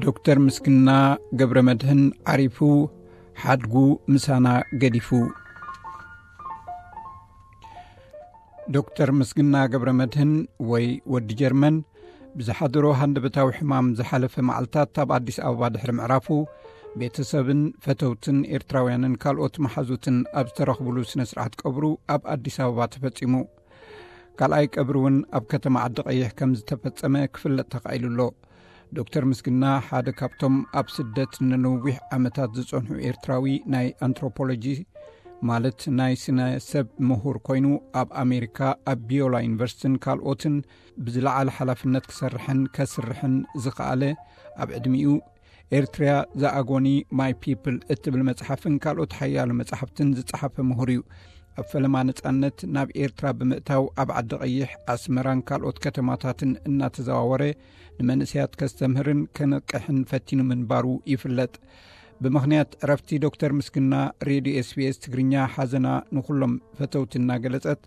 ዶክተር ምስግና ገብረ መድህን ዓሪፉ፣ ሓድጉ ምሳና ገዲፉ። ዶክተር ምስግና ገብረ መድህን ወይ ወዲ ጀርመን ብዝሓደሮ ሃንደበታዊ ሕማም ዝሓለፈ መዓልታት ኣብ ኣዲስ ኣበባ ድሕሪ ምዕራፉ፣ ቤተሰብን ፈተውትን ኤርትራውያንን ካልኦት መሓዙትን ኣብ ዝተረኽብሉ ስነ ስርዓት ቀብሩ ኣብ ኣዲስ ኣበባ ተፈጺሙ። ካልኣይ ቀብሪ እውን ኣብ ከተማ ዓዲ ቀይሕ ከም ዝተፈጸመ ክፍለጥ ተኻኢሉ ኣሎ። ዶክተር ምስግና ሓደ ካብቶም ኣብ ስደት ንነዊሕ ዓመታት ዝጸንሑ ኤርትራዊ ናይ ኣንትሮፖሎጂ፣ ማለት ናይ ስነ ሰብ ምሁር ኮይኑ፣ ኣብ ኣሜሪካ ኣብ ቢዮላ ዩኒቨርሲቲን ካልኦትን ብዝለዓለ ሓላፍነት ክሰርሕን ከስርሕን ዝኸኣለ፣ ኣብ ዕድሚኡ ኤርትሪያ ዘኣጎኒ ማይ ፒፕል እትብል መጽሓፍን ካልኦት ሓያሎ መጽሓፍትን ዝጸሓፈ ምሁር እዩ። ኣብ ፈለማ ነጻነት ናብ ኤርትራ ብምእታው፣ ኣብ ዓዲ ቀይሕ፣ ኣስመራን ካልኦት ከተማታትን እናተዘዋወረ ንመንእሰያት ከስተምህርን ከነቅሕን ፈቲኑ ምንባሩ ይፍለጥ። ብምኽንያት ዕረፍቲ ዶክተር ምስግና፣ ሬድዮ ኤስቢኤስ ትግርኛ ሓዘና ንኹሎም ፈተውቲ እናገለጸት፣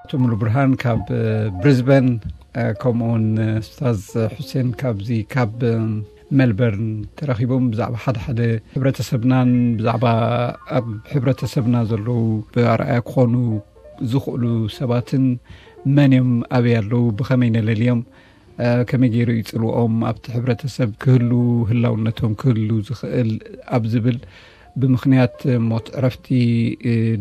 ኣቶ ሙሉ ብርሃን ካብ ብሪዝበን፣ ከምኡውን ስታዝ ሑሴን ካብዚ ካብ ሜልበርን ተረኺቦም ብዛዕባ ሓደ ሓደ ሕብረተሰብናን ብዛዕባ ኣብ ሕብረተሰብና ዘለዉ ብኣርኣያ ክኾኑ ዝኽእሉ ሰባትን መን እዮም፣ ኣበይ ኣለዉ፣ ብኸመይ ነለልዮም፣ ከመይ ገይሩ ይጽልኦም፣ ኣብቲ ሕብረተሰብ ክህሉ፣ ህላውነቶም ክህሉ ዝኽእል ኣብ ዝብል፣ ብምኽንያት ሞት ዕረፍቲ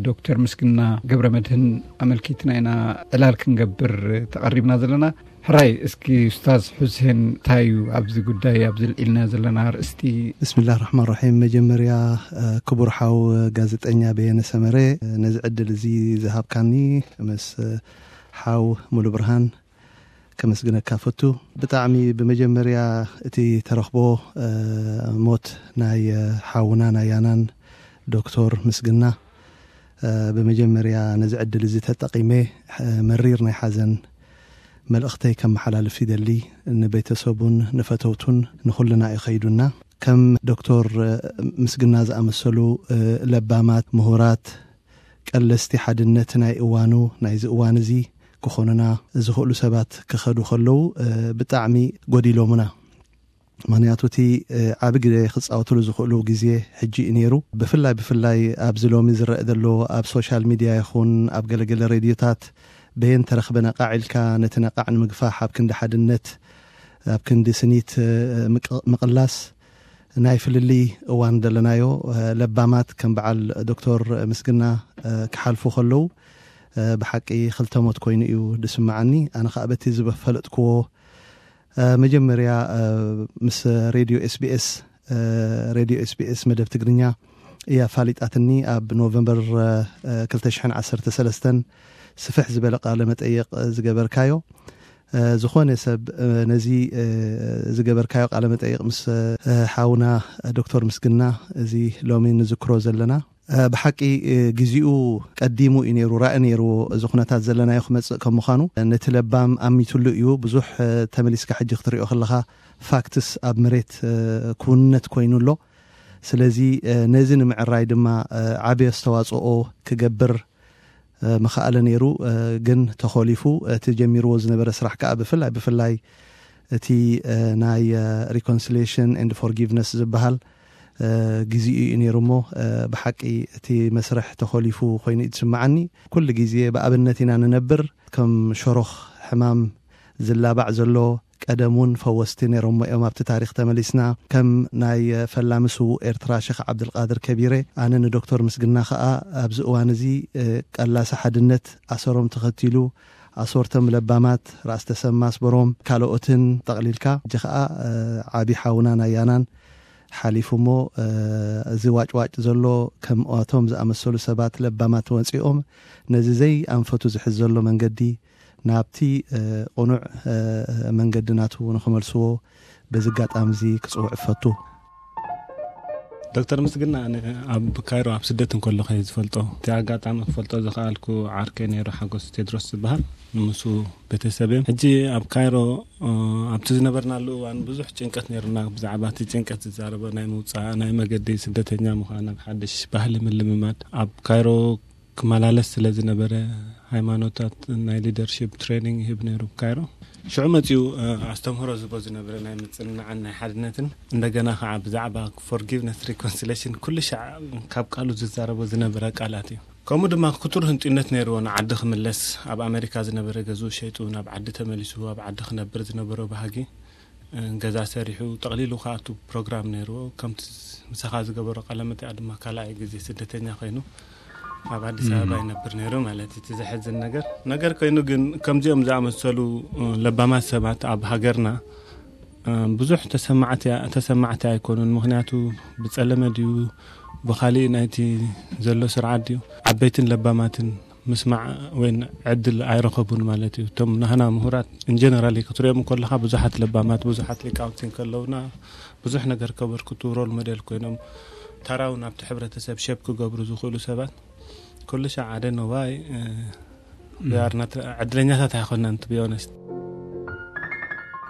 ዶክተር ምስግና ገብረ መድህን ኣመልኪትና ኢና ዕላል ክንገብር ተቐሪብና ዘለና። ሕራይ፣ እስኪ ኡስታዝ ሑሴን፣ እንታይ እዩ ኣብዚ ጉዳይ፣ ኣብዚ ልዒልና ዘለና ኣርእስቲ? ብስምላህ ራሕማን ራሒም። መጀመርያ፣ ክቡር ሓው ጋዜጠኛ በየነ ሰመረ፣ ነዚ ዕድል እዚ ዝሃብካኒ፣ ምስ ሓው ሙሉ ብርሃን ከመስግነካ ፈቱ። ብጣዕሚ ብመጀመርያ እቲ ተረኽቦ፣ ሞት ናይ ሓውና ናይ ያናን ዶክተር ምስግና፣ ብመጀመርያ ነዚ ዕድል እዚ ተጠቒመ፣ መሪር ናይ ሓዘን መልእኽተይ ከመሓላልፍ ይደሊ። ንቤተሰቡን ንፈተውቱን ንኹልና እዩ ኸይዱና። ከም ዶክተር ምስግና ዝኣመሰሉ ለባማት፣ ምሁራት፣ ቀለስቲ ሓድነት ናይ እዋኑ፣ ናይዚ እዋን እዚ ክኾኑና ዝኽእሉ ሰባት ክኸዱ ከለዉ፣ ብጣዕሚ ጎዲሎምና። ምኽንያቱ እቲ ዓቢ ግደ ክጻወትሉ ዝኽእሉ ግዜ ሕጂ እዩ ነይሩ። ብፍላይ፣ ብፍላይ ኣብዚ ሎሚ ዝረአ ዘሎ ኣብ ሶሻል ሚድያ ይኹን ኣብ ገለገለ ሬድዮታት በየን ተረኽበ ነቓዕ ኢልካ ነቲ ነቓዕ ንምግፋሕ ኣብ ክንዲ ሓድነት፣ ኣብ ክንዲ ስኒት ምቅ-፣ ምቕላስ ናይ ፍልልይ እዋን ዘለናዮ፣ ለባማት ከም በዓል ዶክተር ምስግና ክሓልፉ ከለዉ፣ ብሓቂ ክልተ ሞት ኮይኑ እዩ ዝስምዓኒ። ኣነ ኸኣ በቲ ዝፈለጥክዎ፣ መጀመርያ፣ ምስ ሬድዮ ኤስቢኤስ፣ ሬድዮ ኤስቢኤስ መደብ ትግርኛ እያ ኣፋሊጣትኒ። ኣብ ኖቨምበር ክልተ ሽሕን ዓሰርተ ሰለስተን ስፍሕ ዝበለ ቃለ መጠይቕ ዝገበርካዮ፣ ዝኾነ ሰብ ነዚ ዝገበርካዮ ቃለ መጠይቕ ምስ ሓውና ዶክተር ምስግና፣ እዚ ሎሚ ንዝክሮ ዘለና፣ ብሓቂ ግዜኡ ቀዲሙ እዩ ነይሩ፣ ራኢ ነይርዎ። እዚ ኩነታት ዘለናዮ ክመጽእ ከም ምዃኑ ነቲ ለባም ኣሚትሉ እዩ። ብዙሕ ተመሊስካ ሕጂ ክትሪኦ ከለኻ ፋክትስ ኣብ መሬት ክውንነት ኮይኑ ኣሎ። ስለዚ ነዚ ንምዕራይ ድማ ዓቢ ኣስተዋጽኦ ክገብር ምኽኣለ ነይሩ፣ ግን ተኾሊፉ። እቲ ጀሚርዎ ዝነበረ ስራሕ ከኣ ብፍላይ፣ ብፍላይ እቲ ናይ ሪኮንሲሊየሽን ኤንድ ፎርጊቭነስ ዝበሃል ግዜኡ እዩ ነይሩ እሞ፣ ብሓቂ እቲ መስርሕ ተኾሊፉ ኮይኑ እዩ ዝስምዓኒ። ኩሉ ግዜ ብኣብነት ኢና ንነብር። ከም ሸሮኽ ሕማም ዝላባዕ ዘሎ፣ ቀደም እውን ፈወስቲ ነይሮሞ እዮም። ኣብቲ ታሪኽ ተመሊስና፣ ከም ናይ ፈላሚ ስዉእ ኤርትራ ሸኽ ዓብድልቃድር ከቢረ፣ ኣነ ንዶክተር ምስግና ኸኣ ኣብዚ እዋን እዚ ቀላሲ ሓድነት ኣሰሮም ተኸቲሉ፣ ኣሶርቶም ለባማት ራእሲ ተሰማ ኣስበሮም ካልኦትን ጠቕሊልካ፣ ሕጂ ኸኣ ዓቢ ሓውና ናይ ያናን ሓሊፉ እሞ፣ እዚ ዋጭዋጭ ዘሎ ከምኣቶም ዝኣመሰሉ ሰባት ለባማት ወጺኦም ነዚ ዘይኣንፈቱ ዝሕዝ ዘሎ መንገዲ ናብቲ ቅኑዕ መንገዲ ናቱ ንኽመልስዎ በዚ ኣጋጣሚ እዚ ክጽውዕ እፈቱ። ዶክተር ምስግና ኣነ ኣብ ካይሮ ኣብ ስደት እንከለኹ እየ ዝፈልጦ። እቲ ኣጋጣሚ ክፈልጦ ዝኸኣልኩ ዓርከይ ነይሩ፣ ሓጎስ ቴድሮስ ዝበሃል፣ ንምሱ ቤተሰብ እዮም። ሕጂ ኣብ ካይሮ፣ እ፣ ኣብቲ ዝነበርናሉ እዋን ብዙሕ ጭንቀት ነይሩና። ብዛዕባ እቲ ጭንቀት ዝዛረበ ናይ ምውጻእ፣ ናይ መገዲ ስደተኛ ምዃን፣ ኣብ ሓድሽ ባህሊ ምልምማድ። ኣብ ካይሮ ክመላለስ ስለ ዝነበረ፣ ሃይማኖታት ናይ ሊደርሺፕ ትሬኒንግ ይህብ ነይሩ ካይሮ። ሽዑ መጺኡ ኣስተምህሮ ዝቦ ዝነበረ ናይ ምጽንናዕን ናይ ሓድነትን፣ እንደገና ከዓ ብዛዕባ ፎርጊቭነስ ሪኮንሲሌሽን ኩሉ ሻዕ ካብ ቃሉ ዝዛረቦ ዝነበረ ቃላት እዩ። ከምኡ ድማ ክቱር ህንጡይነት ነይርዎ ንዓዲ ክምለስ። ኣብ ኣሜሪካ ዝነበረ ገዝኡ ሸይጡ ናብ ዓዲ ተመሊሱ ኣብ ዓዲ ክነብር ዝነበሮ ባህጊ፣ ገዛ ሰሪሑ ጠቕሊሉ ክኣቱ ፕሮግራም ነይርዎ። ከምቲ ምሳኻ ዝገበሮ ቃለ መጠይቕ ድማ ካልኣይ ግዜ ስደተኛ ኮይኑ ኣብ ኣዲስ ኣበባ ይነብር ነይሩ ማለት እዩ። እቲ ዘሕዝን ነገር ነገር ኮይኑ ግን ከምዚኦም ዝኣመሰሉ ለባማት ሰባት ኣብ ሃገርና ብዙሕ ተሰማዕቲ ኣይኮኑን። ምክንያቱ ብጸለመ ድዩ ብኻሊእ ናይቲ ዘሎ ስርዓት ድዩ ዓበይትን ለባማትን ምስማዕ ወይ ዕድል ኣይረኸቡን ማለት እዩ። እቶም ናህና ምሁራት እንጀነራሊ ክትሪኦም ከለኻ ብዙሓት ለባማት ብዙሓት ሊቃውንቲ እንከለውና ብዙሕ ነገር ከበርክቱ ሮል ሞዴል ኮይኖም ተራውን ኣብቲ ሕብረተሰብ ሸፕ ክገብሩ ዝኽእሉ ሰባት ኩሉ ሻዕ ኣደ ነዋይ ያርና ዕድለኛታት ኣይኮናን ትብዮነስት።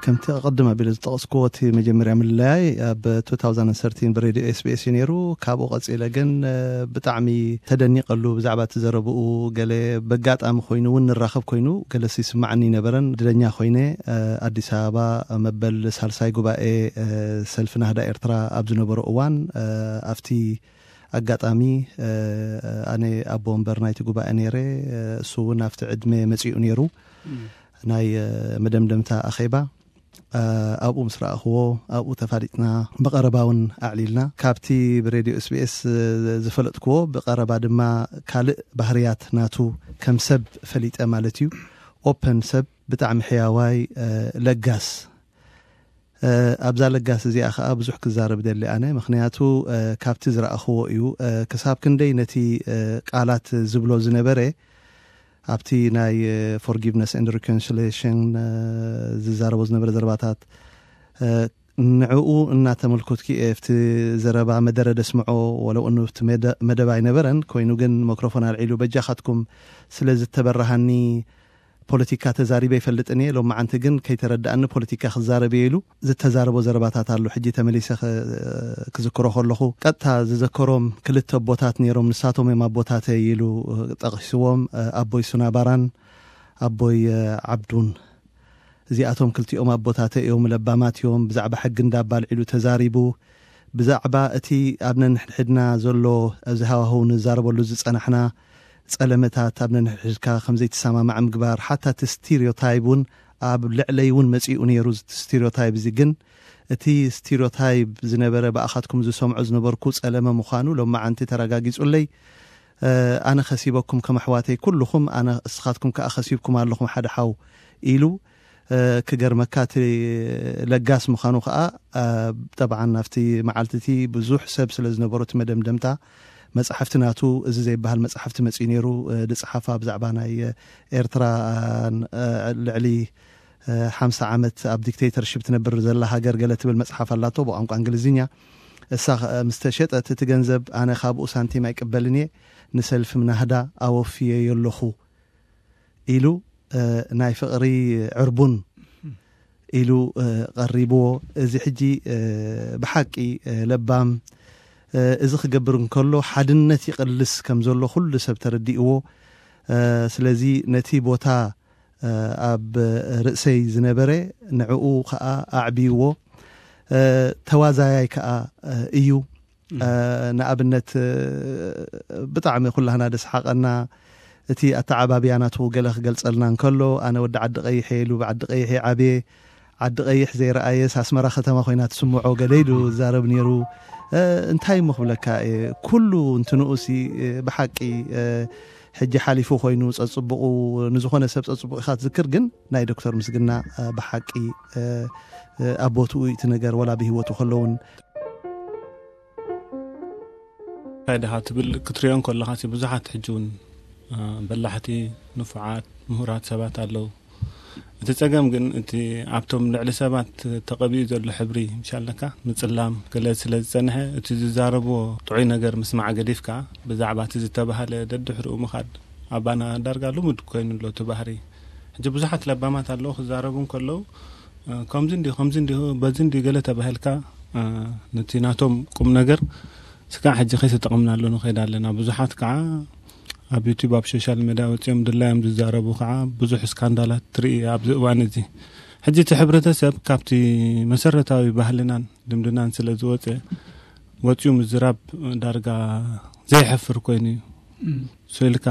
ከምቲ ቅድም ኣቢለ ዝጠቐስኩዎ እቲ መጀመርያ ምልላያይ ኣብ two thousand thirteen ብሬድዮ ኤስቢኤስ እዩ ነይሩ። ካብኡ ቀፂለ ግን ብጣዕሚ ተደኒቐሉ ብዛዕባ እቲ ዘረብኡ። ገለ በጋጣሚ ኮይኑ እውን ንራኸብ ኮይኑ ገለ ይስማዕኒ ይነበረን። ዕድለኛ ኮይነ ኣዲስ ኣበባ መበል ሳልሳይ ጉባኤ ሰልፊ ናህዳ ኤርትራ ኣብ ዝነበሮ እዋን ኣብቲ ኣጋጣሚ ኣነ ኣቦ ወንበር ናይቲ ጉባኤ ነይረ። እሱ እውን ኣብቲ ዕድመ መፂኡ ነይሩ። ናይ መደምደምታ ኣኼባ ኣብኡ ምስ ረኣኽዎ ኣብኡ ተፋሊጥና ብቐረባ እውን ኣዕሊልና። ካብቲ ብሬድዮ ኤስቢኤስ ዝፈለጥክዎ ብቐረባ ድማ ካልእ ባህርያት ናቱ ከም ሰብ ፈሊጠ ማለት እዩ። ኦፐን ሰብ፣ ብጣዕሚ ሕያዋይ፣ ለጋስ። ኣብዛ ለጋስ እዚኣ ከዓ ብዙሕ ክዛረብ ደሊ ኣነ፣ ምክንያቱ ካብቲ ዝረኣኽዎ እዩ። ክሳብ ክንደይ ነቲ ቃላት ዝብሎ ዝነበረ ኣብቲ ናይ ፎርጊቭነስ ኤንድ ሪኮንሲሌሽን ዝዛረቦ ዝነበረ ዘረባታት ንዕኡ እናተመልከትኩ እየ ኣብቲ ዘረባ መደረ ደስምዖ። ወለው እኑ ኣብቲ መደብ ኣይነበረን፣ ኮይኑ ግን መክሮፎን ኣልዒሉ በጃኻትኩም ስለ ዝተበራሃኒ ፖለቲካ ተዛሪበ ይፈልጥን እየ፣ ሎማዓንቲ ግን ከይተረድኣኒ ፖለቲካ ክዛረብ እየ ኢሉ ዝተዛረቦ ዘረባታት ኣሎ። ሕጂ ተመሊሰ ክዝክሮ ከለኹ ቀጥታ ዝዘከሮም ክልተ ኣቦታት ነይሮም፣ ንሳቶም እዮም ኣቦታተይ ኢሉ ጠቒስዎም፣ ኣቦይ ሱናባራን ኣቦይ ዓብዱን። እዚኣቶም ክልቲኦም ኣቦታተይ እዮም፣ ለባማት እዮም። ብዛዕባ ሕጊ እንዳባ ኣልዒሉ ተዛሪቡ። ብዛዕባ እቲ ኣብ ነንሕድሕድና ዘሎ ኣብዚ ሃዋህው ንዛረበሉ ዝጸናሕና ጸለመታት ኣብ ነንሕድሕድካ ከም ዘይትሰማማዕ ምግባር፣ ሓታ እቲ ስቲሪዮታይብ እውን ኣብ ልዕለይ እውን መጺኡ ነይሩ። እቲ ስቲሪዮታይብ እዚ ግን እቲ ስቲሪዮታይብ ዝነበረ ብኣኻትኩም ዝሰምዖ ዝነበርኩ ጸለመ ምዃኑ ሎማዓንቲ ተረጋጊጹለይ። ኣነ ከሲበኩም ከም ኣሕዋተይ ኩልኹም፣ ኣነ እስኻትኩም ከኣ ከሲብኩም ኣለኹም ሓደ ሓው ኢሉ ክገርመካ እቲ ለጋስ ምዃኑ ከዓ ጠብዓን ናብቲ መዓልቲ እቲ ብዙሕ ሰብ ስለ ዝነበሮ እቲ መደምደምታ መፅሓፍቲ ናቱ እዚ ዘይበሃል መፅሓፍቲ መፅኡ ነይሩ። ዝፅሓፋ ብዛዕባ ናይ ኤርትራ ልዕሊ ሓምሳ ዓመት ኣብ ዲክቴተርሽፕ ትነብር ዘላ ሃገር ገለ ትብል መፅሓፍ ኣላቶ ብቋንቋ እንግሊዝኛ። እሳ ምስ ተሸጠት እቲ ገንዘብ ኣነ ካብኡ ሳንቲም ኣይቅበልን እየ፣ ንሰልፊ ናህዳ ኣወፍየዮ ኣለኹ ኢሉ ናይ ፍቕሪ ዕርቡን ኢሉ ቀሪብዎ። እዚ ሕጂ ብሓቂ ለባም እዚ ክገብር እንከሎ ሓድነት ይቕልስ ከም ዘሎ ኩሉ ሰብ ተረዲእዎ። ስለዚ ነቲ ቦታ ኣብ ርእሰይ ዝነበረ ንዕኡ ከዓ ኣዕብይዎ። ተዋዛያይ ከዓ እዩ። ንኣብነት ብጣዕሚ ኩላህና ደስሓቐና እቲ ኣተዓባብያ ናቱ ገለ ክገልጸልና እንከሎ፣ ኣነ ወዲ ዓዲ ቀይሕ እየ ኢሉ ብዓዲ ቀይሕ እየ ዓብየ፣ ዓዲ ቀይሕ ዘይረኣየስ ኣስመራ ከተማ ኮይና ትስምዖ ገለ ኢሉ ዝዛረብ ነይሩ። እንታይ እሞ ክብለካ እየ፣ ኩሉ እንትንኡሲ ብሓቂ ሕጂ ሓሊፉ ኮይኑ ጸጽቡቑ ንዝኾነ ሰብ ጸጽቡቑ ኢኻ ትዝክር፣ ግን ናይ ዶክተር ምስግና ብሓቂ ኣብ ቦትኡ እቲ ነገር ወላ ብህይወቱ ከለውን እንታይ ድኻ ትብል ክትሪኦ እንከለኻ ሲ ብዙሓት ሕጂ እውን በላሕቲ ንፉዓት ምሁራት ሰባት ኣለዉ። እቲ ጸገም ግን እቲ ኣብቶም ልዕሊ ሰባት ተቐቢኡ ዘሎ ሕብሪ ምሻለካ ምጽላም ገለ ስለ ዝጸንሐ እቲ ዝዛረብዎ ጥዑይ ነገር ምስማዕ ገዲፍካ ብዛዕባ እቲ ዝተባህለ ደድሕሪኡ ምኻድ ኣባና ዳርጋ ልሙድ ኮይኑ ኣሎ እቲ ባህሪ። ሕጂ ብዙሓት ለባማት ኣለዉ ክዛረቡ እንከለዉ ከምዚ እንዲሁ ከምዚ እንዲሁ በዚ እንዲሁ ገለ ተባሂልካ ነቲ ናቶም ቁም ነገር ስጋዕ ሕጂ ከይተጠቐምናሉ ንኸይድ ኣለና። ብዙሓት ከዓ ኣብ ዩቲዩብ፣ ኣብ ሶሻል ሚድያ ወፂኦም ድላዮም ዝዛረቡ ከዓ ብዙሕ ስካንዳላት ትርኢ ኣብዚ እዋን እዚ። ሕጂ እቲ ሕብረተሰብ ካብቲ መሰረታዊ ባህልናን ልምድናን ስለ ዝወፀ፣ ወፂኡ ምዝራብ ዳርጋ ዘይሕፍር ኮይኑ እዩ። ሶ ኢልካ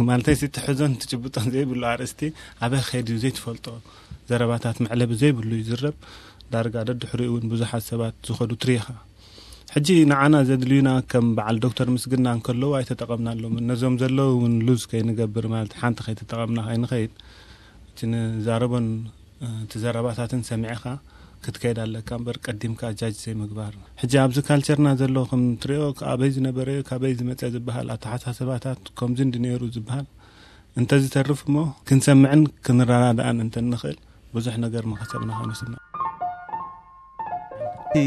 ማለተይ፣ እቲ ሕዞን ትጭብጦን ዘይብሉ ኣርእስቲ ኣበይ ከይዱ ዘይትፈልጦ ዘረባታት፣ መዕለቢ ዘይብሉ ይዝረብ። ዳርጋ ደድሕሪኡ እውን ብዙሓት ሰባት ዝኸዱ ትሪኻ። ሕጂ ንዓና ዘድልዩና ከም በዓል ዶክተር ምስግና እንከለዉ ኣይተጠቐምናሎም። ነዞም ዘለዉ እውን ሉዝ ከይንገብር፣ ማለት ሓንቲ ከይተጠቐምና ከይንኸይድ፣ እቲ ንዛረቦን እቲ ዘረባታትን ሰሚዕኻ ክትከይድ ኣለካ እምበር፣ ቀዲምካ ጃጅ ዘይምግባር። ሕጂ ኣብዚ ካልቸርና ዘሎ ከም ትሪኦ፣ ኣበይ ዝነበረ እዩ፣ ካበይ ዝመፀ ዝበሃል ኣተሓሳስባታት፣ ከምዚ እንዲ ነይሩ ዝበሃል እንተዝተርፍ እሞ፣ ክንሰምዕን ክንረዳዳእን እንተንኽእል ብዙሕ ነገር ምኸሰብና ኮይኑ ስምዕ። እቲ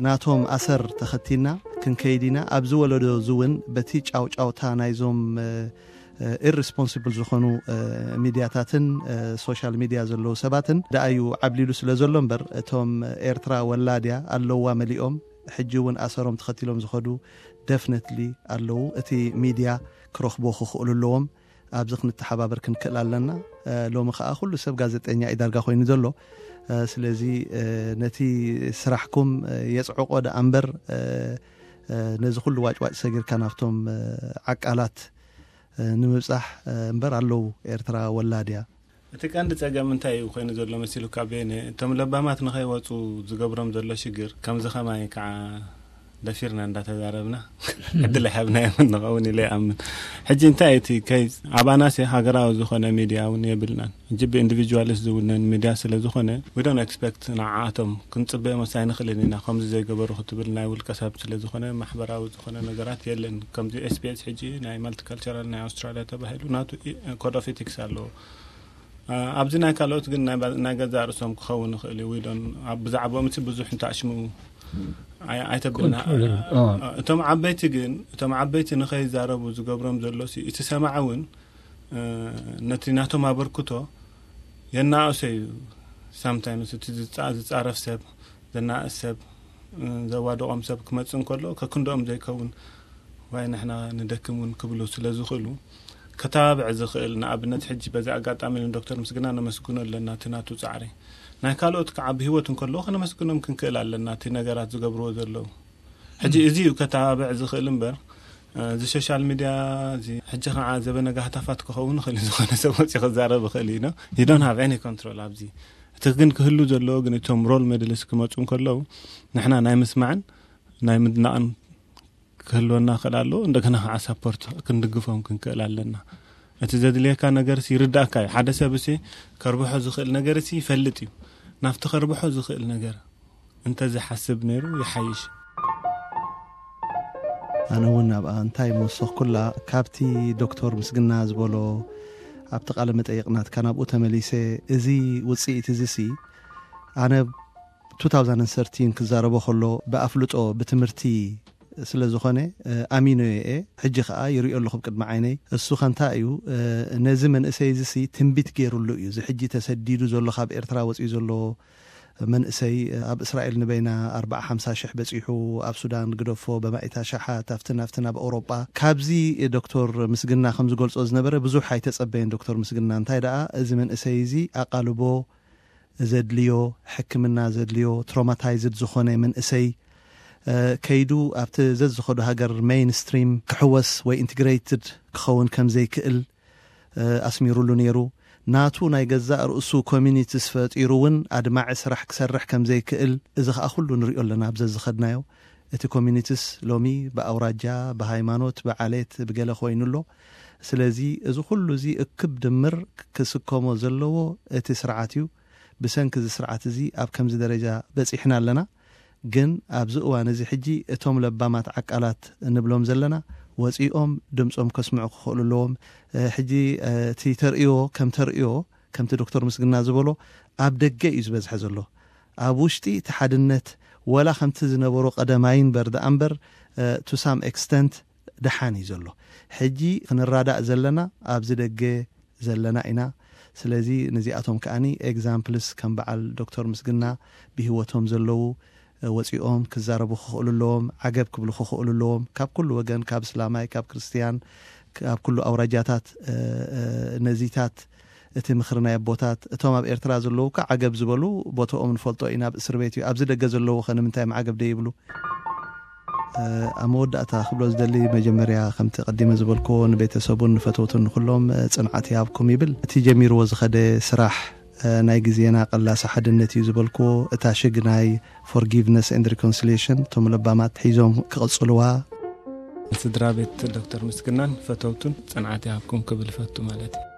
ናቶም ኣሰር ተኸቲልና ክንከይድ ኢና። ኣብዚ ወለዶ እዚ እውን በቲ ጫውጫውታ ናይዞም ኢሪስፖንሲብል ዝኾኑ ሚድያታትን ሶሻል ሚድያ ዘለዉ ሰባትን ደኣዩ ዓብሊሉ ስለ ዘሎ እምበር፣ እቶም ኤርትራ ወላድያ ኣለዋ መሊኦም ሕጂ እውን ኣሰሮም ተኸቲሎም ዝኸዱ ደፍነትሊ ኣለዉ። እቲ ሚድያ ክረኽቦ ክኽእሉ ኣለዎም። ኣብዚ ክንተሓባበር ክንክእል ኣለና። ሎሚ ከዓ ኩሉ ሰብ ጋዜጠኛ እዩ ዳርጋ ኮይኑ ዘሎ። ስለዚ ነቲ ስራሕኩም የፅዕቆ ደኣ እምበር፣ ነዚ ኩሉ ዋጭዋጭ ሰጊርካ ናብቶም ዓቃላት ንምብፃሕ እምበር ኣለዉ። ኤርትራ ወላድያ። እቲ ቀንዲ ጸገም እንታይ እዩ ኮይኑ ዘሎ መሲሉካ ቤነ? እቶም ለባማት ንኸይወጹ ዝገብሮም ዘሎ ሽግር ከምዚ ከማይ ከዓ ደፊርና እንዳተዛረብና ዕድል ኣይሃብናዮም ንኸውን ኢለ ይኣምን። ሕጂ እንታይ እቲ ከይስ ኣባናሲ ሃገራዊ ዝኾነ ሚድያ እውን የብልናን። ሕጂ ብኢንዲቪጁዋሊስት ዝውነን ሚድያ ስለ ዝኾነ፣ we don't expect ንዓኣቶም ክንጽበዮም ኣይንኽእልን ኢና። ከምዚ ዘይገበሩ ክትብል ናይ ውልቀ ሰብ ስለ ዝኾነ ማሕበራዊ ዝኾነ ነገራት የለን። ከምዚ ኤስቢኤስ ሕጂ ናይ ማልቲካልቸራል ናይ ኣውስትራልያ ተባሂሉ ናቱ ኮድ ኦፍ ኤቲክስ ኣለዎ። ኣብዚ ናይ ካልኦት ግን ናይ ገዛ ርእሶም ክኸውን ይኽእል እዩ። ዊዶን ኣብ ብዛዕባኦም እቲ ብዙሕ እንተኣሽሙ ኣይተብልና። እቶም ዓበይቲ ግን እቶም ዓበይቲ ንኸይዛረቡ ዝገብሮም ዘሎ እቲ ሰማዕ እውን ነቲ ናቶም ኣበርክቶ የናእሶ እዩ። ሳምታይምስ እቲ ዝፃረፍ ሰብ፣ ዘናእስ ሰብ፣ ዘዋድቖም ሰብ ክመፅእ እንከሎ ከክንዶኦም ዘይከውን ዋይ ንሕና ንደክም እውን ክብሉ ስለ ዝኽእሉ፣ ከተባብዕ ዝኽእል፣ ንኣብነት ሕጂ በዚ ኣጋጣሚ ንዶክተር ምስግና ነመስግኖ ኣለና እቲ ናቱ ፃዕሪ። ናይ ካልኦት ከዓ ብህይወት እንከለዉ ከነመስግኖም ክንክእል ኣለና እቲ ነገራት ዝገብርዎ ዘለዉ። ሕጂ እዚ እዩ ከተባብዕ ዝኽእል እምበር እዚ ሶሻል ሚድያ እዚ ሕጂ ከዓ ዘበነ ጋህታፋት ክኸውን ይኽእል እዩ። ዝኾነ ሰብ ወፂ ክዛረብ ይኽእል እዩ። You don't have any control ኣብዚ። እቲ ግን ክህሉ ዘለዎ ግን እቶም ሮል ሞዴልስ ክመፁ እንከለዉ ንሕና ናይ ምስማዕን ናይ ምድናቕን ክህልወና ክእል ኣለዎ። እንደገና ከዓ ሳፖርት ክንድግፎም ክንክእል ኣለና። እቲ ዘድልየካ ነገር ሲ ይርዳእካ እዩ። ሓደ ሰብ ሲ ከርብሖ ዝኽእል ነገር ሲ ይፈልጥ እዩ። ናብቲ ከርብሖ ዝኽእል ነገር እንተዝሓስብ ነይሩ ይሓይሽ። ኣነ እውን ኣብኣ እንታይ ምወሰኽኩላ፣ ካብቲ ዶክተር ምስግና ዝበሎ ኣብቲ ቃለ መጠይቕ ናትካ ናብኡ ተመሊሰ፣ እዚ ውፅኢት እዚ ሲ ኣነ two thousand thirteen ክዛረቦ ከሎ ብኣፍልጦ ብትምህርቲ ስለ ዝኾነ ኣሚኖ እየ። ሕጂ ከዓ ይሪኦ ኣለኹ ቅድሚ ዓይነይ። እሱ ከንታ እዩ፣ ነዚ መንእሰይ እዚ ሲ ትንቢት ገይሩሉ እዩ። እዚ ሕጂ ተሰዲዱ ዘሎ፣ ካብ ኤርትራ ወፂኡ ዘሎ መንእሰይ ኣብ እስራኤል ንበይና ኣርባዓ ሓምሳ ሽሕ በፂሑ፣ ኣብ ሱዳን ግደፎ በማኢታ ሸሓት፣ ኣብትን ኣብትን ኣብ ኣውሮጳ። ካብዚ ዶክተር ምስግና ከም ዝገልጾ ዝነበረ ብዙሕ ኣይተጸበየን ዶክተር ምስግና። እንታይ ደኣ እዚ መንእሰይ እዚ ኣቓልቦ ዘድልዮ፣ ሕክምና ዘድልዮ፣ ትሮማታይዝድ ዝኾነ መንእሰይ ከይዱ ኣብቲ ዘዝኸዶ ሃገር ሜይንስትሪም ክሕወስ ወይ ኢንትግሬትድ ክኸውን ከም ዘይክእል ኣስሚሩሉ ነይሩ። ናቱ ናይ ገዛእ ርእሱ ኮሚኒቲስ ፈጢሩ እውን ኣድማዒ ስራሕ ክሰርሕ ከም ዘይክእል፣ እዚ ኸኣ ኩሉ ንሪኦ ኣለና ኣብ ዘዝኸድናዮ። እቲ ኮሚኒቲስ ሎሚ ብኣውራጃ፣ ብሃይማኖት፣ ብዓሌት፣ ብገለ ኮይኑ ኣሎ። ስለዚ እዚ ኩሉ እዚ እክብ ድምር ክስከሞ ዘለዎ እቲ ስርዓት እዩ። ብሰንኪ እዚ ስርዓት እዚ ኣብ ከምዚ ደረጃ በጺሕና ኣለና። ግን ኣብዚ እዋን እዚ ሕጂ እቶም ለባማት ዓቃላት እንብሎም ዘለና ወጺኦም ድምጾም ከስምዑ ክኽእሉ ኣለዎም። ሕጂ እቲ ተርእዮ ከም ተርእዮ ከምቲ ዶክተር ምስግና ዝበሎ ኣብ ደገ እዩ ዝበዝሐ ዘሎ። ኣብ ውሽጢ እቲ ሓድነት ወላ ከምቲ ዝነበሮ ቀደማይ እምበር ደኣ እምበር to some extent ደሓን እዩ ዘሎ። ሕጂ ክንራዳእ ዘለና ኣብዚ ደገ ዘለና ኢና። ስለዚ ነዚኣቶም ከኣኒ ኤግዛምፕልስ ከም በዓል ዶክተር ምስግና ብህይወቶም ዘለዉ ወፂኦም ክዛረቡ ክኽእሉ ኣለዎም፣ ዓገብ ክብሉ ክኽእሉ ኣለዎም። ካብ ኩሉ ወገን፣ ካብ እስላማይ፣ ካብ ክርስትያን፣ ኣብ ኩሉ ኣውራጃታት ነዚታት እቲ ምኽሪ ናይ ኣቦታት፣ እቶም ኣብ ኤርትራ ዘለዉ ከዓ ዓገብ ዝበሉ ቦታኦም ንፈልጦ ኢና፣ ኣብ እስር ቤት እዩ። ኣብዚ ደገ ዘለዉ ኸ ንምንታይ እዮም ዓገብ ደይብሉ? ኣብ መወዳእታ ክብሎ ዝደሊ፣ መጀመርያ ከምቲ ቀዲመ ዝበልክዎ ንቤተሰቡን ንፈተውቱን ንኹሎም ጽንዓት ይሃብኩም ይብል። እቲ ጀሚርዎ ዝኸደ ስራሕ ናይ ግዜና ቀላሲ ሓድነት እዩ ዝበልክዎ፣ እታ ሽግ ናይ forgiveness and reconciliation እቶም ለባማት ሒዞም ክቕጽልዋ። ስድራ ቤት ዶክተር ምስግናን ፈተውቱን ጽንዓት ይሃብኩም ክብል እፈቱ ማለት እዩ።